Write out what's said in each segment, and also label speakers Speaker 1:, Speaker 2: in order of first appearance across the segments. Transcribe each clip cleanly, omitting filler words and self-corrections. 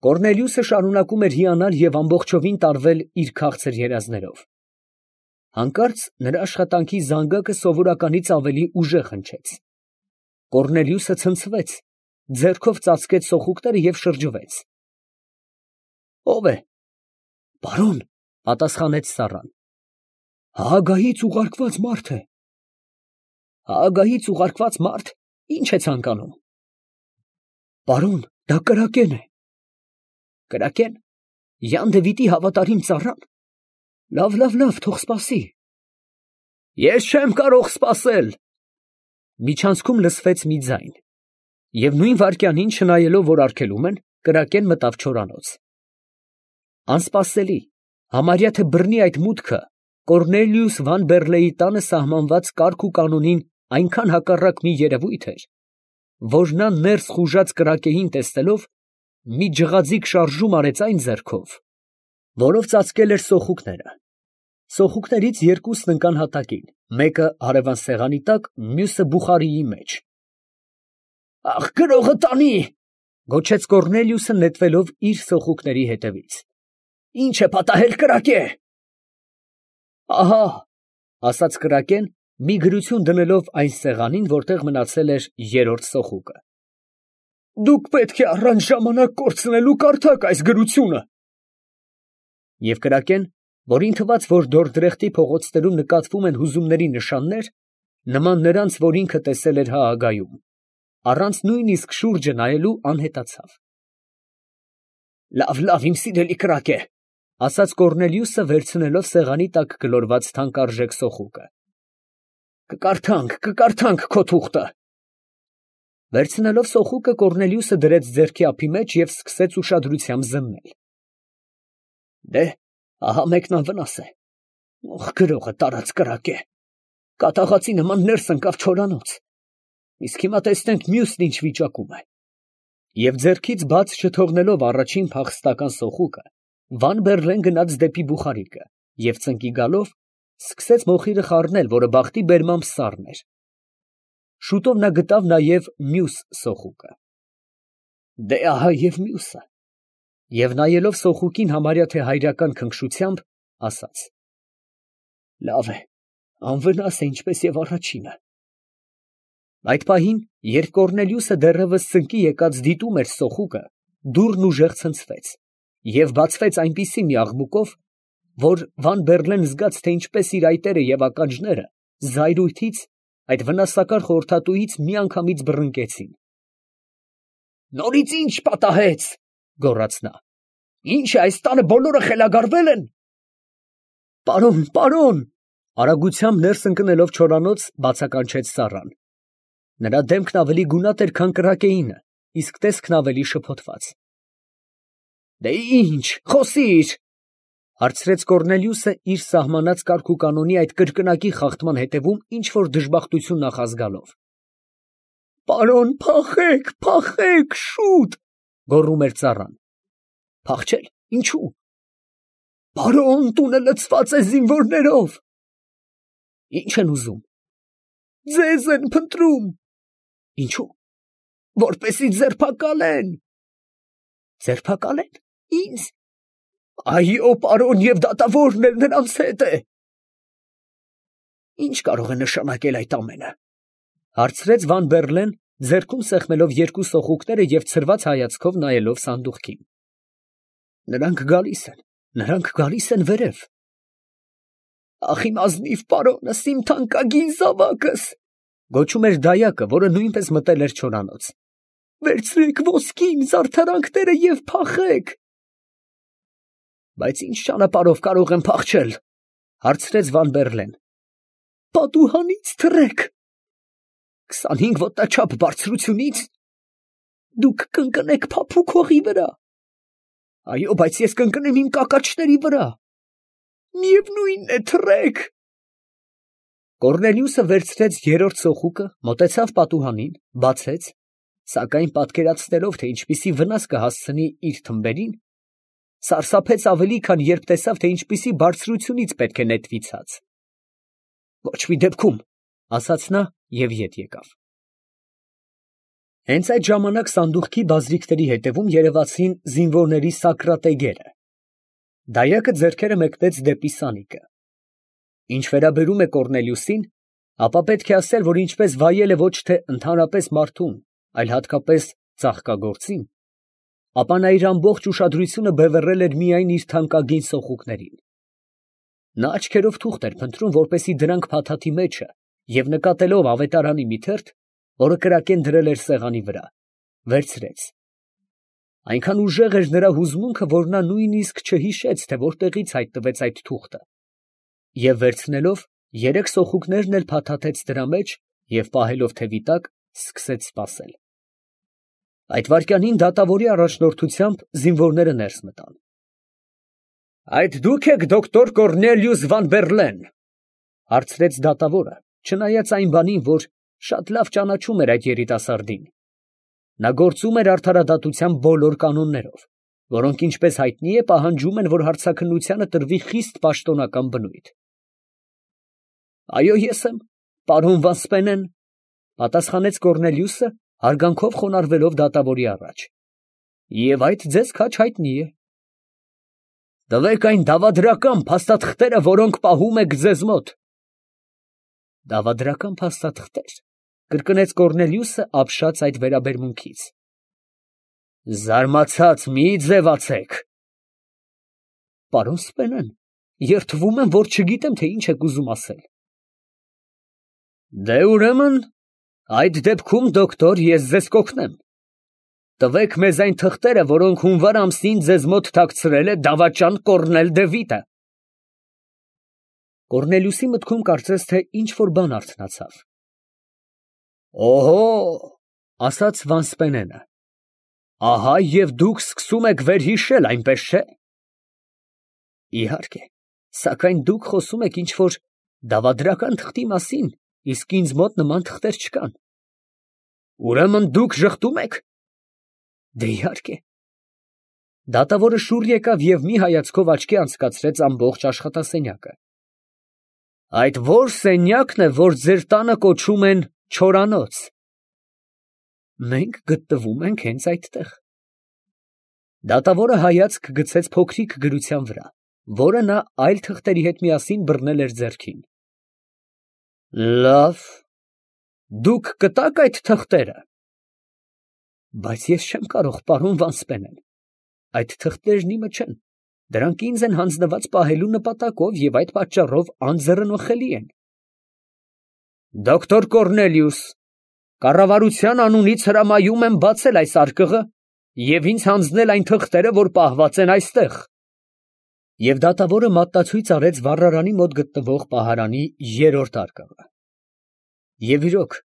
Speaker 1: Կոռնելիուսը շարունակում էր հիանալ և ամբողջովին տարվել իր քաղցր երազներով. հանկարծ նրա աշխատանքի զանգակը սովորականից ավելի ուժեղ հնչեց. Կոռնելիուսը ցնցվեց, ձեռքով ծածկեց սոխուկները և շրջվեց։ ո՞վ է։ Պարոն, պատասխանեց Սառան։ Հաագայից ուղարկված մարդ է։ Հաագայից ուղարկված մարդ, ի՞նչ է ցանկանում։ Պարոն, դա կրակեն է։ Կրակեն։ Յան Դևիթի հավատարիմ ծառան։ Լավ, թող սպասի։ Ես չեմ կարող սպասել։ Միջանցքում լսվեց մի ձայն, և նույն վայրկյանին, չնայելով, որ արգելում են, կրակեն մտավ չորանոց։ Անսպասելի, համարյա թե բռնի այդ մուտքը Կոռնելիուս Վան֊Բեռլեի տանը սահմանված կարգ ու կանոնին այնքան հակառակ մի երևույթ էր, որ նա ներս խուժած կրակեին տեսնելով, մի ջղաձիգ շարժում արեց այն ձեռքով, որով ծածկել էր սոխուկները։ Սոխուկներից երկուսն ընկան հատակին, մեկը հարևան սեղանի տակ, մյուսը բուխարիի մեջ։ Աղ, գրողը տանի, գոչեց Կոռնելիուսը նետվելով իր սոխուկների հետևից։ Ինչ է պատահել, կրակե։ Ահա, ասաց կրակեն, մի գրություն դնելով այն սեղանին, որտեղ մնացել էր երրորդ սոխուկը։ Դուք պետք է առանց ժամանակ կորցնելու կարդաք այս գրությունը։ Եվ կրակեն, որին թվաց, որ Դորդրեխտի փողոցներում նկատվում են հուզումների նշաններ, նման նրանց, որ ինքը տեսել էր Հաագայում, առանց նույնիսկ շուրջը նայելու անհետացավ։ Լավ, իմ սիրելի կրակե, ասաց Կոռնելիուսը, վերցնելով սեղանի տակ գլորված թանկարժեք սոխուկը։ Կկարդանք քո թուղթը։ Վերցնելով սոխուկը, Կոռնելիուսը դրեց ձեռքի ափի մեջ և սկսեց ուշադրությամբ զննել։ Դե, ահա մեկն անվնաս է։ Ոխ, գրողը տարած կրակե։ Կատաղածի նման ներս ընկավ չորանոց։ Իսկ հիմա տեսնենք մյուսն ինչ վիճակում է։ Եվ ձեռքից բաց չթողնելով առաջին փախստական սոխուկը, Վան֊Բեռլեն գնաց դեպի բուխարիկը և ծնկի գալով, սկսեց մոխիրը խառնել, որը բախտի բերմամբ սառն էր։ Շուտով նա գտավ նաև մյուս սոխուկը։ Դե ահա և մյուսը։ Եվ նայելով սոխուկին համարյա թե հայրական քնքշությամբ, ասաց. Լավ է, անվնաս է, ինչպես և առաջինը։ Այդ պահին, երբ Կոռնելիուսը դեռևս ծնկի եկած դիտում էր սոխուկը, դուռն ուժեղ ցնցվեց, և բացվեց այնպիսի մի աղմուկով, որ Վան֊Բեռլեն զգաց, թե ինչպես իր այտերը և ականջները զայրույթից, այդ վնասակար խորհրդատուից միանգամից բռնկեցին։ Նորից ի՞նչ պատահեց, գոռաց նա։ Ինչ է, այս տանը բոլորը խելագարվե՞լ են։ Պարոն, արագությամբ ներս ընկնելով չորանոց, բացականչեց Սառան։ Նրա դեմքն ավելի գունատ էր, քան կրակեինը, իսկ տեսքն ավելի շփոթված։ Դե ի՞նչ, խոսիր, հարցրեց Կոռնելիուսը, իր սահմանած կարգ ու կանոնի այդ կրկնակի խախտման հետևում ինչ֊որ դժբախտություն նախազգալով։ Պարոն, փախեք, շուտ, գոռում էր ծառան։ Փախչել, ինչու։ Պարոն, տունը լցված է զինվորներով։ Ինչ են ուզում։ Ձեզ են փնտրում։ Ինչու։ Որպեսզի ձերբակալեն։ Ձերբակալեն։ Ինձ։ Այո, պարոն, և դատավորն էլ նրանց հետ է։ Ինչ կարող է նշանակել այդ ամենը, հարցրեց Վան֊Բեռլեն, ձեռքում սեղմելով երկու սոխուկները և ցրված հայացքով նայելով սանդուղքին։ Նրանք գալիս են վերև։ Ախ, իմ ազնիվ պարոնս, իմ թանկագին զավակս, գոչում էր դայակը, որը նույնպես մտել էր չորանոց։ Վերցրեք ոսկին, զարդարանքները և փախեք։ Բայց ինչ ճանապարհով կարող եմ փախչել, հարցրեց Վան֊Բեռլեն։ Պատուհանից թռեք։ 25 ոտնաչափ բարձրությունի՞ց։ Դուք կընկնեք փափուկ հողի վրա։ Այո, բայց ես կընկնեմ իմ կակաչների վրա։ Միևնույնն է, թռեք։ Կոռնելիուսը վերցրեց երրորդ սոխուկը, մոտեցավ պատուհանին, բացեց, սակայն պատկերացնելով, թե ինչպիսի վնաս կհասցնի իր թմբերին, սարսափեց ավելի, քան երբ տեսավ, թե ինչպիսի բարձրությունից պետք է նետվի ցած։ Ոչ մի դեպքում, ասաց նա և ետ եկավ։ Հենց այդ ժամանակ սանդուղքի բազրիքների հետևում երևացին զինվորների սակրատեգերը։ Դայակը ձեռքերը մեկնեց դեպի սանիկը։ Ինչ վերաբերում է Կոռնելիուսին, ապա պետք է ասել, որ ինչպես վայել է ոչ թե ընդհանրապես մարդուն, այլ հատկապես ծաղկագործին, ապա նա իր ամբողջ ուշադրությունը բևեռել էր միայն իր թանկագին սոխուկներին։ Նա աչքերով թուղթ էր փնտրում, որպեսզի դրանք փաթաթի մեջը, և նկատելով ավետարանի մի թերթ, որը կրակեն դրել էր սեղանի վրա, վերցրեց։ Այնքան ուժեղ էր նրա հուզմունքը, որ նա նույնիսկ չհիշեց, թե որտեղից հայտնվեց այդ թուղթը, և վերցնելով, երեք սոխուկներն էլ փաթաթեց դրա մեջ և պահելով թևի տակ, սկսեց սպասել։ Այդ վայրկյանին դատավորի առաջնորդությամբ զինվորները ներս մտան։ «Այդ դուք եք դոկտոր Կոռնելիուս Վան Բերլեն, ֊ հարցրեց դատավորը, չնայած այն բանին, որ շատ լավ ճանաչում էր այդ երիտասարդին։ Նա գործում էր արդարադատության բոլոր կանոններով, որոնք, ինչպես հայտնի է, պահանջում են, որ հարցաքննությանը տրվի խիստ պաշտոնական բնույթ։ «Այո, ես եմ, պարոն Վասպենեն, ֊ պատասխանեց Կոռնելիուսը, հարգանքով խոնարհվելով դատավորի առաջ, ֊ և այդ ձեզ քաջ հայտնի է»։ «Տվեք այն դավադրական փաստաթղթերը, որոնք պահում եք ձեզ մոտ»։ «Դավադրական փաստաթղթեր», ֊ կրկնեց Կոռնելիուսը, ապշած այդ վերաբերմունքից։ «Զարմացած մի ձևացեք»։ «Պարոն Սպենեն, երդվում եմ, որ չգիտեմ, թե ինչ եք ուզում ասել»։ «Դե ուրեմն, այդ դեպքում, դոկտոր, ես ձեզ կօգնեմ։ Տվեք մեզ այն թղթերը, որոնք հունվար ամսին ձեզ մոտ թաքցրել է դավաճան Կոռնել դե Վիտը»։ Կոռնելիուսի մտքում կարծես թե ինչ֊որ բան արթնացավ։ «Օհո, ֊ ասաց Վանսպենենը, ֊ ահա և դուք սկսում եք վերհիշել, այնպես չէ՞։ Իհարկե, սակայն դուք խոսում եք ինչ֊որ դավադրական թղթի մասին, իսկ ինձ մոտ նման թղթեր չկան։ Ուրեմն դուք ժխտում եք։ Դե իհարկե։ Դատավորը շուռ եկավ և մի հայացքով աչքի անցկացրեց ամբողջ աշխատասենյակը։ Այդ ո՞ր սենյակն է, որ ձեր տանը կոչում են չորանոց։ Մենք գտնվում ենք հենց այդտեղ։ Դատավորը հայացք գցեց փոքրիկ գրության վրա, որը նա այլ թղթերի հետ միասին բռնել էր ձեռքին։ Լավ, դուք կտա՞ք այդ թղթերը։ Բայց ես չեմ կարող, պարոն Վանսպենեն, այդ թղթերն իմը չեն, դրանք ինձ են հանձնված պահելու նպատակով և այդ պատճառով անձեռնմխելի են։ Դոկտոր Կոռնելիուս, կառավարության անունից հրամայում եմ բացել այս արկղը և ինձ հանձնել այն թղթերը, որ պահված են այստեղ։ Եվ դատավորը մատնացույց արեց վառարանի մոտ գտնվող պահարանի երրորդ արկղը։ Եվ իրոք,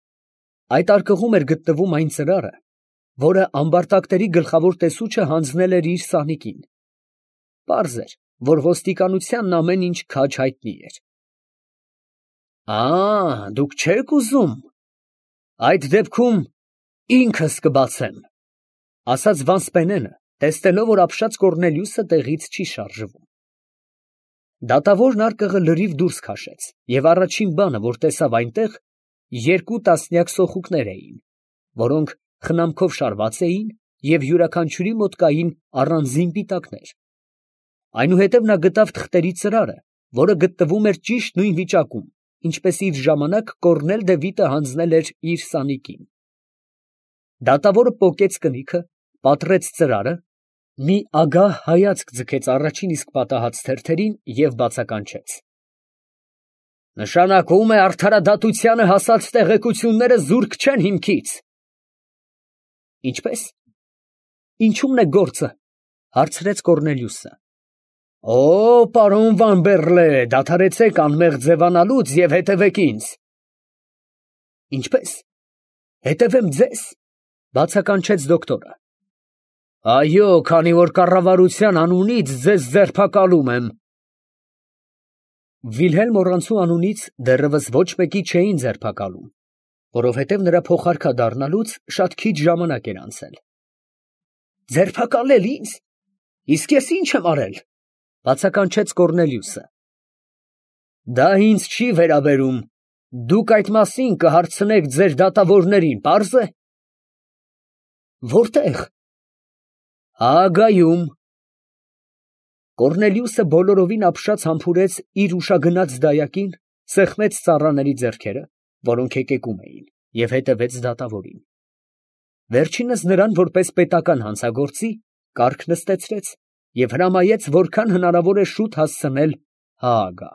Speaker 1: այդ արկղում էր գտնվում այն ծրարը, որը ամբարտակների գլխավոր տեսուչը հանձնել էր իր սանիկին։ Պարզ էր, որ ոստիկանությանն ամեն ինչ քաջ հայտնի էր։ Դուք չեք ուզում։ Այդ դեպքում ինքս կբացեմ, ֊ ասաց Վանսպենենը, տեսնելով, որ ապշած Կոռնելիուսը տեղից չի շարժվում։ Դատավորն արկղը լրիվ դուրս քաշեց, և առաջին բանը, որ տեսավ այնտեղ, 2 տասնյակ սոխուկներ էին, որոնք խնամքով շարված էին և յուրաքանչյուրի մոտ կային առանձին պիտակներ։ Այնուհետև նա գտավ թղթերի ծրարը, որը գտնվում էր ճիշտ նույն վիճակում, ինչպես իր ժամանակ Կոռնել դե Վիտը հանձնել էր իր սանիկին։ Դատավորը պոկեց կնիքը, պատռեց ծրարը, մի ագահ հայացք ձգեց առաջին իսկ պատահած թերթերին և բացականչեց. Նշանակում է արդարադատությանը հասած տեղեկությունները զուրկ չեն հիմքից։ Ինչպե՞ս։ Ինչու՞մն է գործը, ֊ հարցրեց Կոռնելիուսը։ Պարոն Վան Բերլե, դադարեցեք անմեղ ձևանալուց և հետևեք ինձ։ Ինչպե՞ս։ Հետևեմ ձեզ, ֊ բացականչեց դոկտորը։ Այո, քանի որ կառավարության անունից ձեզ ձերբակալում եմ։ Վիլհելմ Օռանցու անունից դեռևս ոչ մեկի չէին ձերբակալում, որովհետև նրա փոխարքա դառնալուց շատ քիչ ժամանակ էր անցել։ Ձերբակալել ինձ։ Իսկ ես ի՞նչ եմ արել, ֊ բացականչեց Կոռնելիուսը։ Դա ինձ չի վերաբերում, դուք այդ մասին կհարցնեք ձեր դատավորներին, պարզ է։ Որտե՞ղ։ Հաագայում։ Կոռնելիուսը բոլորովին ապշած համբուրեց իր ուշագնաց դայակին, սեղմեց ծառաների ձեռքերը, որոնք հեկեկում էին, և հետևեց դատավորին. վերջինս նրան, որպես պետական հանցագործի, կառք նստեցրեց և հրամայեց որքան հնարավոր է շուտ հասցնել Հաագա։